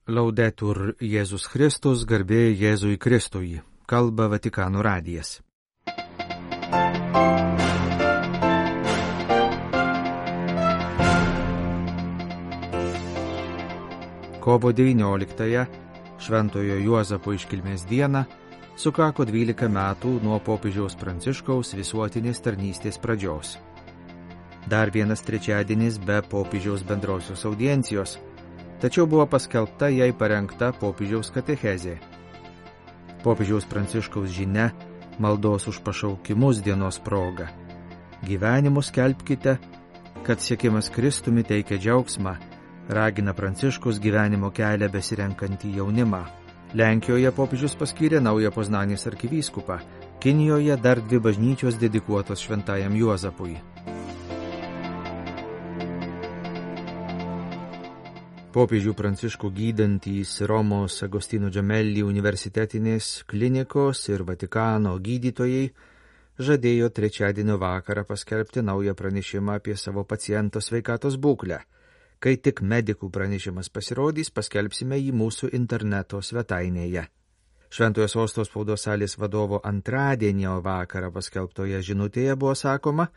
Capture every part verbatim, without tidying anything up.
Laudetur Jėzus Kristus, garbė Jėzui Kristui, kalba Vatikano radijas. Kovo devynioliktąją, Šventojo Juozapo iškilmės dieną, sukako dvylika metų nuo popiežiaus Pranciškaus visuotinės tarnystės pradžios. Dar vienas trečiadienis be popiežiaus bendrosios audiencijos, tačiau buvo paskelbta jai parengta popiežiaus katechezė. Popiežiaus Pranciškaus žinia maldos už pašaukimus dienos proga. Gyvenimus skelbkite, kad siekimas Kristumi teikia džiaugsmą, ragina Pranciškus gyvenimo kelią besirenkantį jaunimą. Lenkijoje popiežius paskyrė naują Poznanės arkivyskupą, Kinijoje dar dvi bažnyčios dedikuotos Šventajam Juozapui. Popiežių Pranciškų gydantys Romos Agostino Gemelli universitetinės klinikos ir Vatikano gydytojai žadėjo trečiadienio vakarą paskelbti naują pranešimą apie savo paciento sveikatos būklę. Kai tik medikų pranešimas pasirodys, paskelbsime jį mūsų interneto svetainėje. Šventojo Sosto spaudos salės vadovo antradienio vakarą paskelbtoje žinutėje buvo sakoma,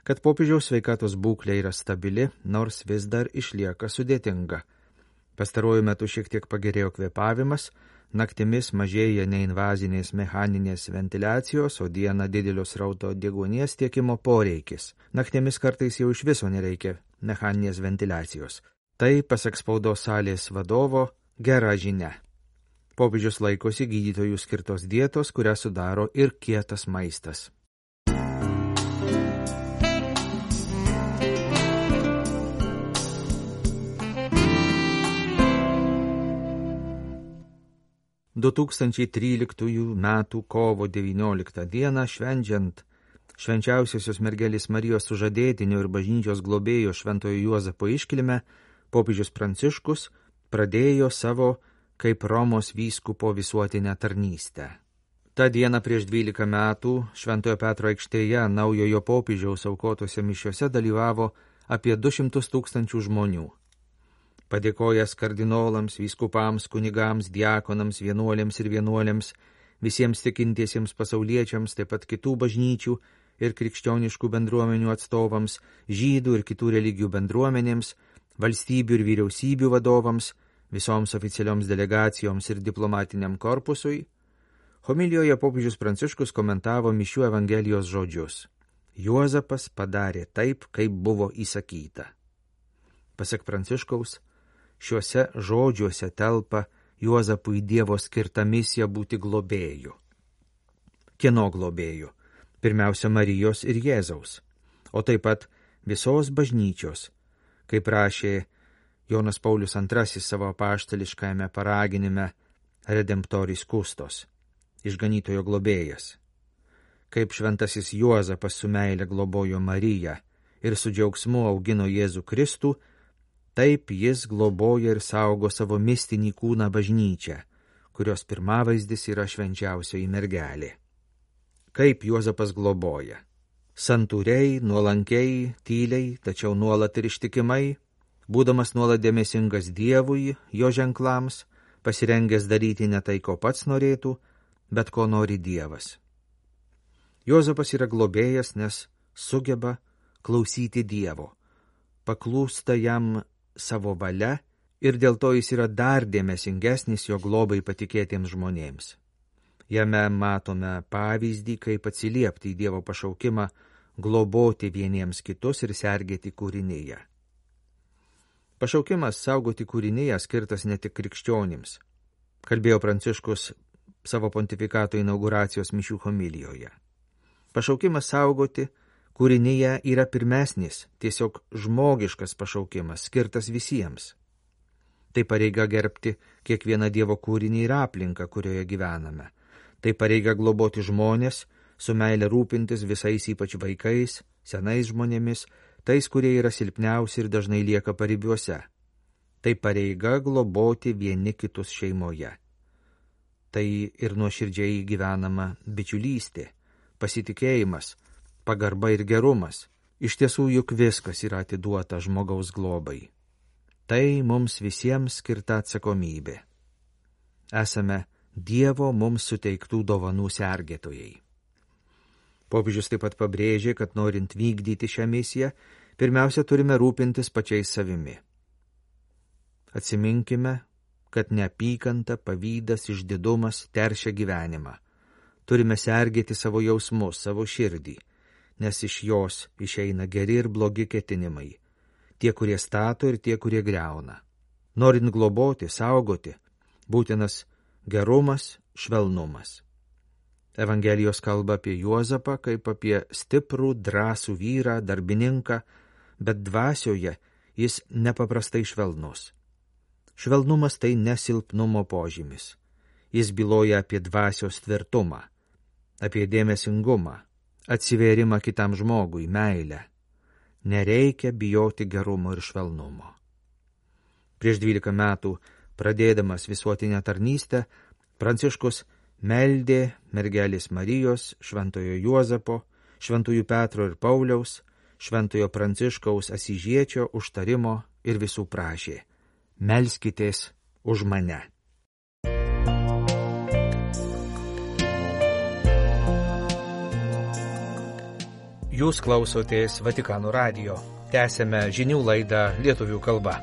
kad popiežiaus sveikatos būklė yra stabili, nors vis dar išlieka sudėtinga. Pastaruoju metu šiek tiek pagerėjo kvėpavimas, naktimis mažėja neinvazinės mechaninės ventiliacijos, o dieną didelio srauto deguonies tiekimo poreikis. Naktimis kartais jau iš viso nereikia mechaninės ventiliacijos. Tai, pasak spaudos salės vadovo, gera žinia. Popiežius laikosi gydytojų skirtos dietos, kurią sudaro ir kietas maistas. du tūkstančiai tryliktųjų metų kovo devynioliktą dieną švenčiant švenčiausiosios mergelės Marijos sužadėtinio ir bažnyčios globėjo Šventojo Juozapo iškilmę, popiežius Pranciškus pradėjo savo kaip Romos vyskupo visuotinę tarnystę. Ta diena prieš dvylika metų Šventojo Petro aikštėje naujojo popiežiaus aukotose mišiose dalyvavo apie du šimtus tūkstančių žmonių. Padėkojęs kardinolams, vyskupams, kunigams, diakonams, vienuolėms ir vienuolėms, visiems tikintiesiems pasauliečiams, taip pat kitų bažnyčių ir krikščioniškų bendruomenių atstovams, žydų ir kitų religijų bendruomenėms, valstybių ir vyriausybių vadovams, visoms oficialioms delegacijoms ir diplomatiniam korpusui, homilijoje popiežius Pranciškus komentavo mišių Evangelijos žodžius. Juozapas padarė taip, kaip buvo įsakyta. Pasak Pranciškaus, šiuose žodžiuose telpa Juozapui Dievo skirta misija būti globėju. Kieno globėju? Pirmiausia, Marijos ir Jėzaus, o taip pat visos bažnyčios, kaip rašė Jonas Paulius antrasis savo apaštališkajame paraginime Redemptoris Kustos, išganytojo globėjas. Kaip šventasis Juozapas su meile globojo Mariją ir su džiaugsmu augino Jėzų Kristų, taip jis globoja ir saugo savo mistinį kūną bažnyčią, kurios pirmavaizdis yra švenčiausioji mergelė. Kaip Juozapas globoja? Santūriai, nuolankiai, tyliai, tačiau nuolat ir ištikimai, būdamas nuolat dėmesingas Dievui, jo ženklams, pasirengęs daryti ne tai, ko pats norėtų, bet ko nori Dievas. Juozapas yra globėjas, nes sugeba klausyti Dievo, paklūsta jam savo valia ir dėl to jis yra dar dėmesingesnis jo globai patikėtiems žmonėms. Jame matome pavyzdį, kaip atsiliepti į Dievo pašaukimą, globoti vieniems kitus ir sergėti kūrinyje. Pašaukimas saugoti kūrinyje skirtas ne tik krikščionims, kalbėjo Pranciškus savo pontifikato inauguracijos mišių homilijoje. Pašaukimas saugoti kūrinyje yra pirmesnis, tiesiog žmogiškas pašaukimas, skirtas visiems. Tai pareiga gerbti kiekvieną Dievo kūrinį ir aplinką, kurioje gyvename. Tai pareiga globoti žmonės, su meile rūpintis visais ypač vaikais, senais žmonėmis, tais, kurie yra silpniausi ir dažnai lieka paribiuose. Tai pareiga globoti vieni kitus šeimoje. Tai ir nuoširdžiai gyvenama bičiulystė, pasitikėjimas, pagarba ir gerumas. Iš tiesų juk viskas yra atiduota žmogaus globai. Tai mums visiems skirta atsakomybė. Esame Dievo mums suteiktų dovanų sergėtojai. Popiežius taip pat pabrėžė, kad norint vykdyti šią misiją, pirmiausia turime rūpintis pačiais savimi. Atsiminkime, kad neapykanta, pavydas, išdidumas teršia gyvenimą. Turime sergėti savo jausmus, savo širdį, nes iš jos išeina geri ir blogi ketinimai, tie, kurie stato ir tie, kurie griauna. Norint globoti, saugoti, būtinas gerumas, švelnumas. Evangelijos kalba apie Juozapą kaip apie stiprų, drąsų vyrą, darbininką, bet dvasioje jis nepaprastai švelnus. Švelnumas tai nesilpnumo požymis. Jis byloja apie dvasios tvirtumą, apie dėmesingumą, atsivėrimą kitam žmogui, meilę. Nereikia bijoti gerumo ir švelnumo. Prieš dvylika metų, pradėdamas visuotinę tarnystę, Pranciškus meldė mergelės Marijos, šventojo Juozapo, šventųjų Petro ir Pauliaus, šventojo Pranciškaus Asyžiečio užtarimo ir visų prašė: melskitės už mane. Jūs klausotės Vatikano radijo. Tęsėme žinių laidą lietuvių kalba.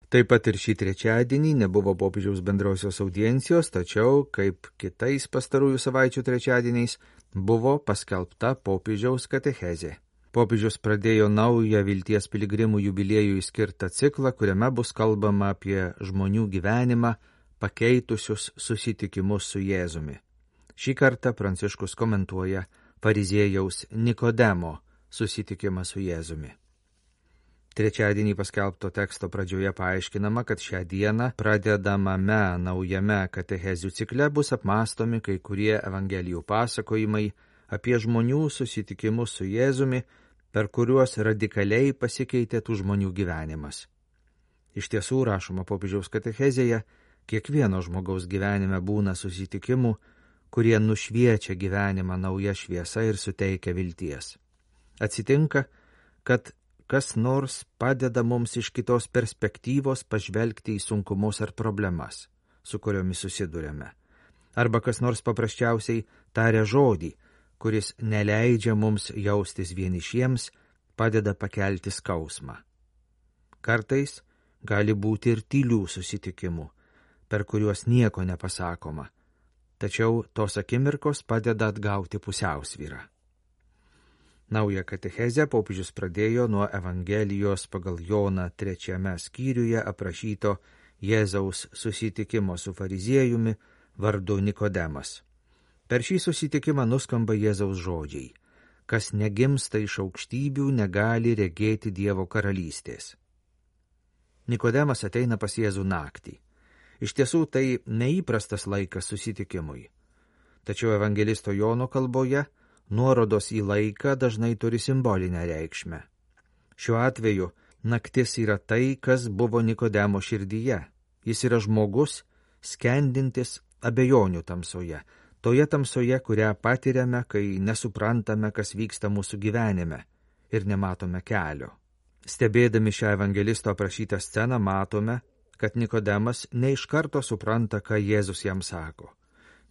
Taip pat ir šį trečiadienį nebuvo popiežiaus bendrosios audiencijos, tačiau, kaip kitais pastarųjų savaičių trečiadieniais, buvo paskelbta popiežiaus katechezė. Popiežius pradėjo naują vilties piligrimų jubiliejui skirtą ciklą, kuriame bus kalbama apie žmonių gyvenimą, pakeitusius susitikimus su Jėzumi. Šį kartą Pranciškus komentuoja fariziejaus Nikodemo susitikimą su Jėzumi. Trečiadienį paskelbto teksto pradžioje paaiškinama, kad šią dieną pradedamame naujame katechezių cikle bus apmąstomi kai kurie evangelijų pasakojimai apie žmonių susitikimus su Jėzumi, per kuriuos radikaliai pasikeitė tų žmonių gyvenimas. Iš tiesų, rašoma popiežiaus katechezėje, kiekvieno žmogaus gyvenime būna susitikimų, kurie nušviečia gyvenimą nauja šviesa ir suteikia vilties. Atsitinka, kad kas nors padeda mums iš kitos perspektyvos pažvelgti į sunkumus ar problemas, su kuriomis susiduriame. Arba kas nors paprasčiausiai taria žodį, kuris neleidžia mums jaustis vienišiems, padeda pakelti skausmą. Kartais gali būti ir tylių susitikimų, per kuriuos nieko nepasakoma, tačiau tos akimirkos padeda atgauti pusiausvyrą. Naują katechezę popiežius pradėjo nuo Evangelijos pagal Joną trečiame skyriuje aprašyto Jėzaus susitikimo su fariziejumi vardu Nikodemas. Per šį susitikimą nuskamba Jėzaus žodžiai: kas negimsta iš aukštybių, negali regėti Dievo karalystės. Nikodemas ateina pas Jėzų naktį. Iš tiesų tai neįprastas laikas susitikimui. Tačiau evangelisto Jono kalboje nuorodos į laiką dažnai turi simbolinę reikšmę. Šiuo atveju naktis yra tai, kas buvo Nikodemo širdyje. Jis yra žmogus, skendintis abejonių tamsoje, toje tamsoje, kurią patiriame, kai nesuprantame, kas vyksta mūsų gyvenime ir nematome kelio. Stebėdami šią evangelisto aprašytą sceną matome, kad Nikodemas ne iš karto supranta, ką Jėzus jam sako.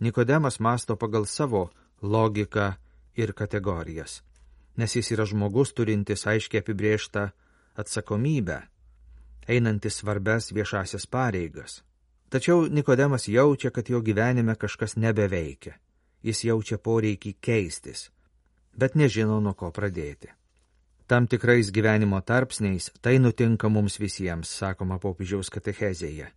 Nikodemas mąsto pagal savo logiką ir kategorijas, nes jis yra žmogus turintis aiškiai apibrėžtą atsakomybę, einantis svarbes viešasias pareigas. Tačiau Nikodemas jaučia, kad jo gyvenime kažkas nebeveikia. Jis jaučia poreikį keistis, bet nežino, nuo ko pradėti. Tam tikrais gyvenimo tarpsniais tai nutinka mums visiems, sakoma popiežiaus katechezėje.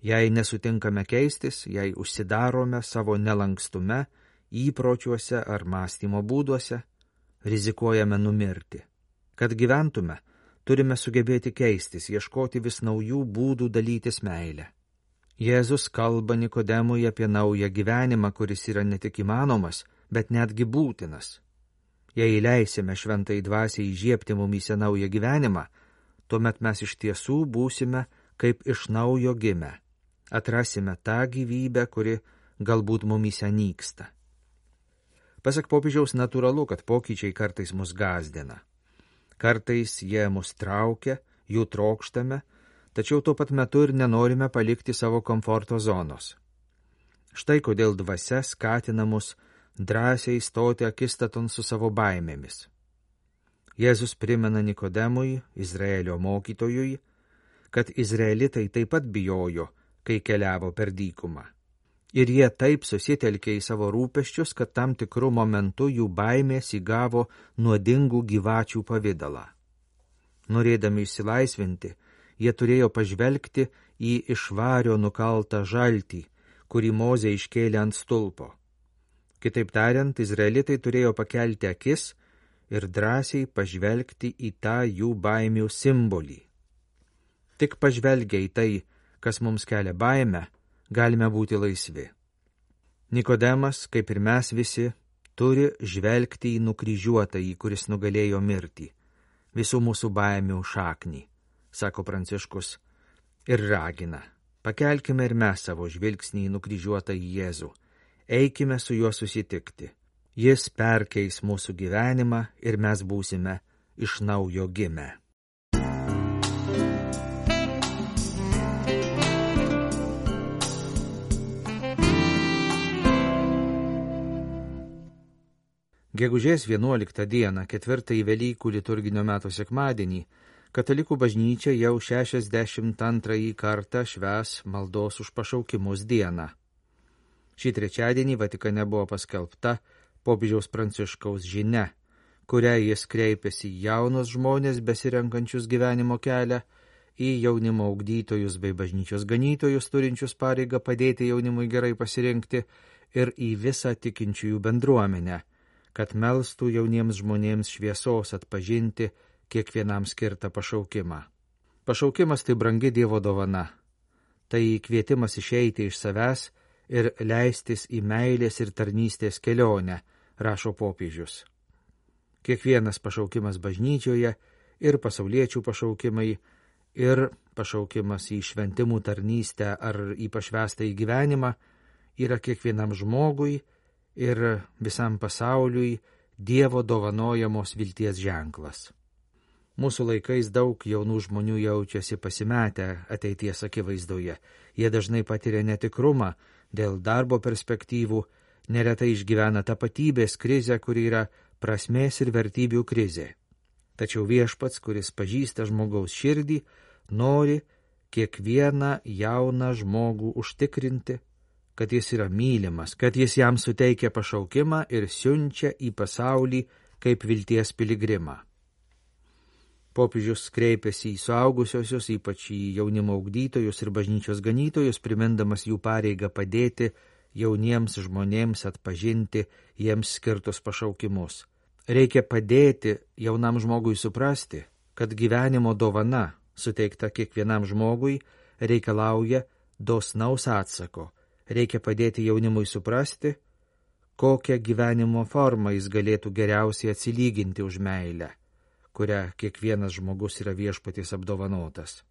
Jei nesutinkame keistis, jei užsidarome savo nelankstume, įpročiuose ar mąstymo būduose, rizikuojame numirti. Kad gyventume, turime sugebėti keistis, ieškoti vis naujų būdų dalytis meilę. Jėzus kalba Nikodemui apie naują gyvenimą, kuris yra ne tik įmanomas, bet netgi būtinas. Jei leisime šventai dvasiai įžiebti mumyse naują gyvenimą, tuomet mes iš tiesų būsime kaip iš naujo gimę. Atrasime tą gyvybę, kuri galbūt mumyse nyksta. Pasak popiežiaus, natūralu, kad pokyčiai kartais mus gąsdina. Kartais jie mus traukia, jų trokštame, tačiau tuo pat metu ir nenorime palikti savo komforto zonos. Štai kodėl dvasia skatina mus drąsiai stoti akistaton su savo baimėmis. Jėzus primena Nikodemui, Izraelio mokytojui, kad izraelitai taip pat bijojo, kai keliavo per dykumą. Ir jie taip susitelkė į savo rūpesčius, kad tam tikrų momentų jų baimės įgavo nuodingų gyvačių pavidalą. Norėdami išsilaisvinti, jie turėjo pažvelgti į iš vario nukaltą žaltį, kurį Mozė iškėlė ant stulpo. Kitaip tariant, izraelitai turėjo pakelti akis ir drąsiai pažvelgti į tą jų baimių simbolį. Tik pažvelgia į tai, kas mums kelia baimę, galime būti laisvi. Nikodemas, kaip ir mes visi, turi žvelgti į nukryžiuotąjį, kuris nugalėjo mirtį, visų mūsų baimių šaknį, sako Pranciškus, ir ragina. Pakelkime ir mes savo žvilgsnį į nukryžiuotąjį Jėzų, eikime su juo susitikti. Jis perkeis mūsų gyvenimą ir mes būsime iš naujo gimę. Gegužės vienuoliktą dieną, ketvirtąjį Velykų liturginio meto sekmadienį, Katalikų bažnyčia jau šešiasdešimt antrąjį kartą švęs maldos už pašaukimus dieną. Šį trečiadienį Vatikane buvo paskelbta popiežiaus Pranciškaus žinia, kuria jis kreipėsi į jaunus žmonės besirenkančius gyvenimo kelią, į jaunimo ugdytojus bei bažnyčios ganytojus turinčius pareigą padėti jaunimui gerai pasirinkti ir į visą tikinčiųjų bendruomenę, kad melstų jauniems žmonėms šviesos atpažinti kiekvienam skirtą pašaukimą. Pašaukimas tai brangi Dievo dovana. Tai kvietimas išeiti iš savęs ir leistis į meilės ir tarnystės kelionę, rašo popiežius. Kiekvienas pašaukimas bažnyčioje ir pasauliečių pašaukimai ir pašaukimas į šventimų tarnystę ar į pašvęstą į gyvenimą yra kiekvienam žmogui ir visam pasauliui Dievo dovanojamos vilties ženklas. Mūsų laikais daug jaunų žmonių jaučiasi pasimetę ateities akivaizdoje. Jie dažnai patiria netikrumą dėl darbo perspektyvų, neretai išgyvena tapatybės krizę, kuri yra prasmės ir vertybių krizė. Tačiau Viešpats, kuris pažįsta žmogaus širdį, nori kiekvieną jauną žmogų užtikrinti, kad jis yra mylimas, kad jis jam suteikia pašaukimą ir siunčia į pasaulį kaip vilties piligrimą. Popiežius kreipėsi į suaugusiosius, ypač į jaunimo ugdytojus ir bažnyčios ganytojus, primindamas jų pareigą padėti jauniems žmonėms atpažinti jiems skirtus pašaukimus. Reikia padėti jaunam žmogui suprasti, kad gyvenimo dovana, suteikta kiekvienam žmogui, reikalauja dosnaus atsako. Reikia padėti jaunimui suprasti, kokią gyvenimo formą jis galėtų geriausiai atsilyginti už meilę, kurią kiekvienas žmogus yra Viešpaties apdovanotas.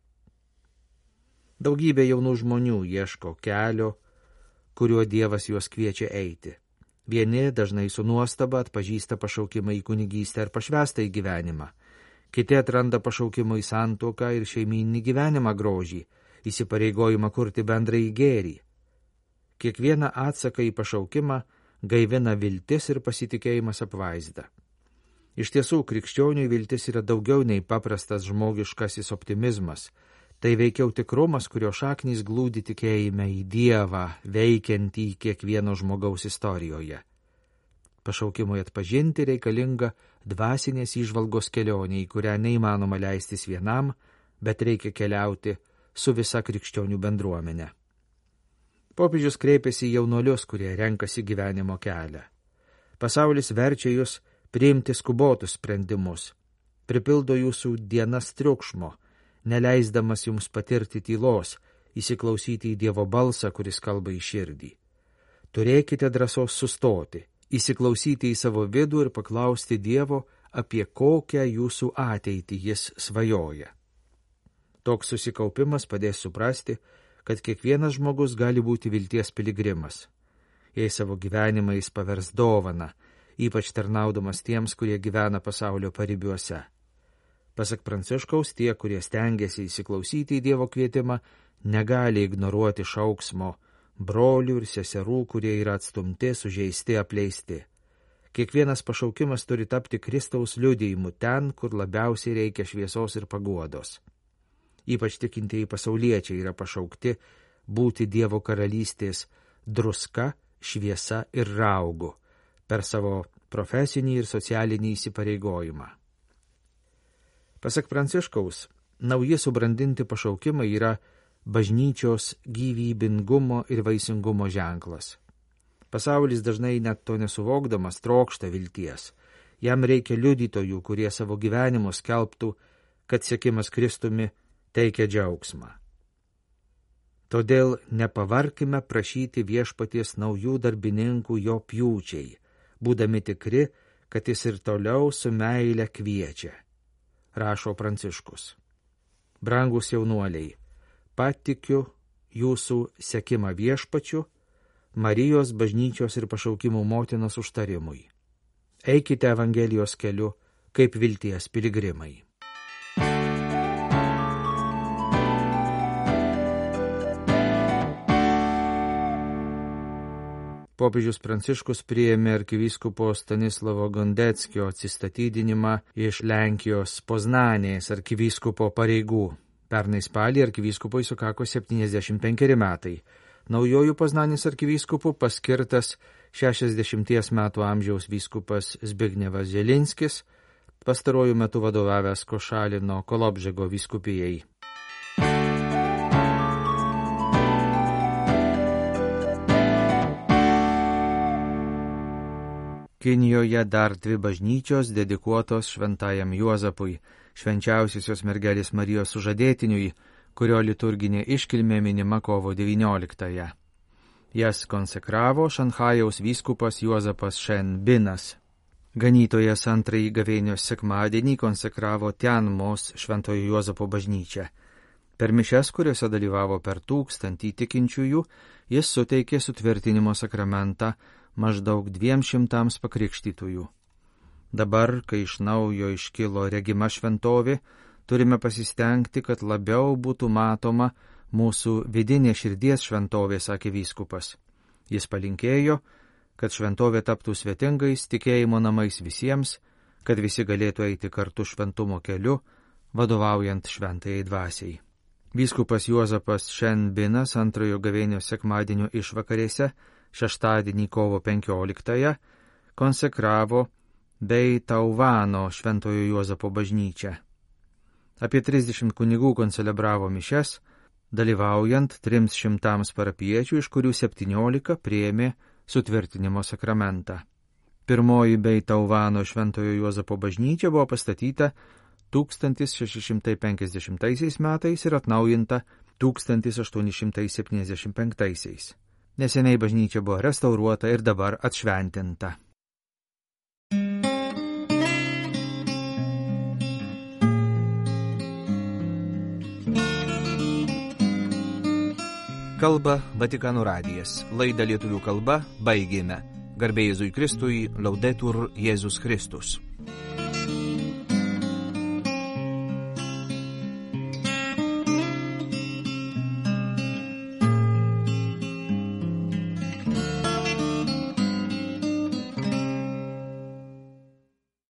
Daugybė jaunų žmonių ieško kelio, kuriuo Dievas juos kviečia eiti. Vieni dažnai su nuostaba atpažįsta pašaukimą į kunigystę ar pašvęstą į gyvenimą. Kiti atranda pašaukimą į santuoką ir šeimyninį gyvenimą grožį, įsipareigojimą kurti bendrąjį gėrį. Kiekvieną atsaką į pašaukimą gaivina viltis ir pasitikėjimas apvaizda. Iš tiesų, krikščioniui viltis yra daugiau nei paprastas žmogiškasis optimizmas. Tai veikiau tikrumas, kurio šaknys glūdi tikėjime į Dievą, veikiantį kiekvieno žmogaus istorijoje. Pašaukimui atpažinti reikalinga dvasinės įžvalgos kelionė, į kurią neįmanoma leistis vienam, bet reikia keliauti su visa krikščionių bendruomenė. Popiežius kreipėsi į jaunuolius, kurie renkasi gyvenimo kelią. Pasaulis verčia jūs priimti skubotus sprendimus, pripildo jūsų dienas triukšmo, neleisdamas jums patirti tylos, įsiklausyti į Dievo balsą, kuris kalba į širdį. Turėkite drąsos sustoti, įsiklausyti į savo vidų ir paklausti Dievo, apie kokią jūsų ateitį jis svajoja. Toks susikaupimas padės suprasti, kad kiekvienas žmogus gali būti vilties piligrimas. Jei savo gyvenimą jis pavers dovaną, ypač tarnaudamas tiems, kurie gyvena pasaulio paribiuose. Pasak Pranciškaus, tie, kurie stengiasi įsiklausyti į Dievo kvietimą, negali ignoruoti šauksmo brolių ir seserų, kurie yra atstumti, sužeisti, apleisti. Kiekvienas pašaukimas turi tapti Kristaus liudijimu ten, kur labiausiai reikia šviesos ir paguodos. Ypač tikintieji pasauliečiai yra pašaukti būti Dievo karalystės druska, šviesa ir raugu per savo profesinį ir socialinį įsipareigojimą. Pasak Pranciškaus, nauji subrandinti pašaukimai yra bažnyčios gyvybingumo ir vaisingumo ženklas. Pasaulis dažnai net to nesuvokdamas trokšta vilties. Jam reikia liudytojų, kurie savo gyvenimus skelbtų, kad sekimas Kristumi teikia džiaugsmą. Todėl nepavarkime prašyti viešpaties naujų darbininkų jo pjūčiai, būdami tikri, kad jis ir toliau su meile kviečia, rašo Pranciškus. Brangus jaunuoliai, patikiu jūsų sekimą viešpačiu, Marijos bažnyčios ir pašaukimų motinos užtarimui. Eikite Evangelijos keliu kaip vilties piligrimai. Popiežius Pranciškus priėmė arkivyskupo Stanislovo Gondeckio atsistatydinimą iš Lenkijos Poznanės arkivyskupo pareigų. Pernai spalį arkivyskupui sukako septyniasdešimt penkeri metai. Naujojų Poznanės arkivyskupu paskirtas šešiasdešimties metų amžiaus vyskupas Zbignevas Želinskis, pastarojų metų vadovavęs Košalino Kolobžego vyskupijai. Kinijoje dar dvi bažnyčios dedikuotos šventajam Juozapui, švenčiausiosios mergelės Marijos sužadėtiniui, kurio liturginė iškilmė minima kovo devynioliktąją. Jas konsekravo Šanchajaus vyskupas Juozapas Šen Binas. Ganytojas antrąjį gavėnios sekmadienį konsekravo Tianmos Šventojo Juozapo bažnyčią. Per mišias, kuriuose dalyvavo per tūkstantį tikinčiųjų, jis suteikė sutvirtinimo sakramentą maždaug dviem šimtams pakrikštytųjų. Dabar, kai iš naujo iškilo regima šventovė, turime pasistengti, kad labiau būtų matoma mūsų vidinė širdies šventovė, sakė vyskupas. Jis palinkėjo, kad šventovė taptų svetingais tikėjimo namais visiems, kad visi galėtų eiti kartu šventumo keliu, vadovaujant šventajai dvasiai. Vyskupas Juozapas Šen Binas antrojo gavėnios sekmadienio išvakarėse, šeštadienį kovo penkioliktąją, konsekravo bei Tauvano Šventojo Juozapo bažnyčią. Apie trisdešimt kunigų koncelebravo mišias, dalyvaujant trims šimtams parapiečių, iš kurių septyniolika priėmė sutvirtinimo sakramentą. Pirmoji bei Tauvano Šventojo Juozapo bažnyčia buvo pastatyta tūkstantis šeši šimtai penkiasdešimtaisiais metais ir atnaujinta tūkstantis aštuoni šimtai septyniasdešimt penktaisiais. Neseniai bažnyčia buvo restauruota ir dabar atšventinta. Kalba Vatikano radijas. Laidą lietuvių kalba baigėme. Garbė Jėzui Kristui, Laudetur Jėzus Kristus.